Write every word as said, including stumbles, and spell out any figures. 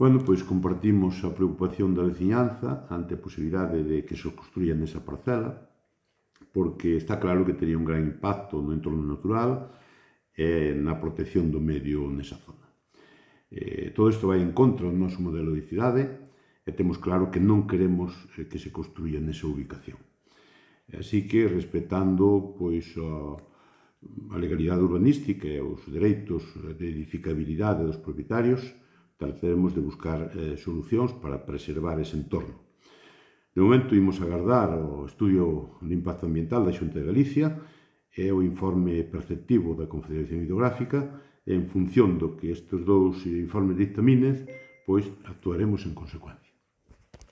Bueno, pois compartimos a preocupación da veciñanza ante a posibilidade de que se construya nesa parcela, porque está claro que tería un gran impacto no entorno natural e na protección do medio nesa zona. Eh, todo isto vai en contra do noso modelo de cidade e temos claro que non queremos eh, que se construya nesa ubicación. Así que, respetando pois, a, a legalidade urbanística e os dereitos de edificabilidade dos propietarios, trataremos de buscar eh, solucións para preservar ese entorno. De momento, imos agardar o estudio de impacto ambiental da Xunta de Galicia e o informe perceptivo da Confederación Hidrográfica e, en función do que estes dous informes dictaminen, pois actuaremos en consecuencia.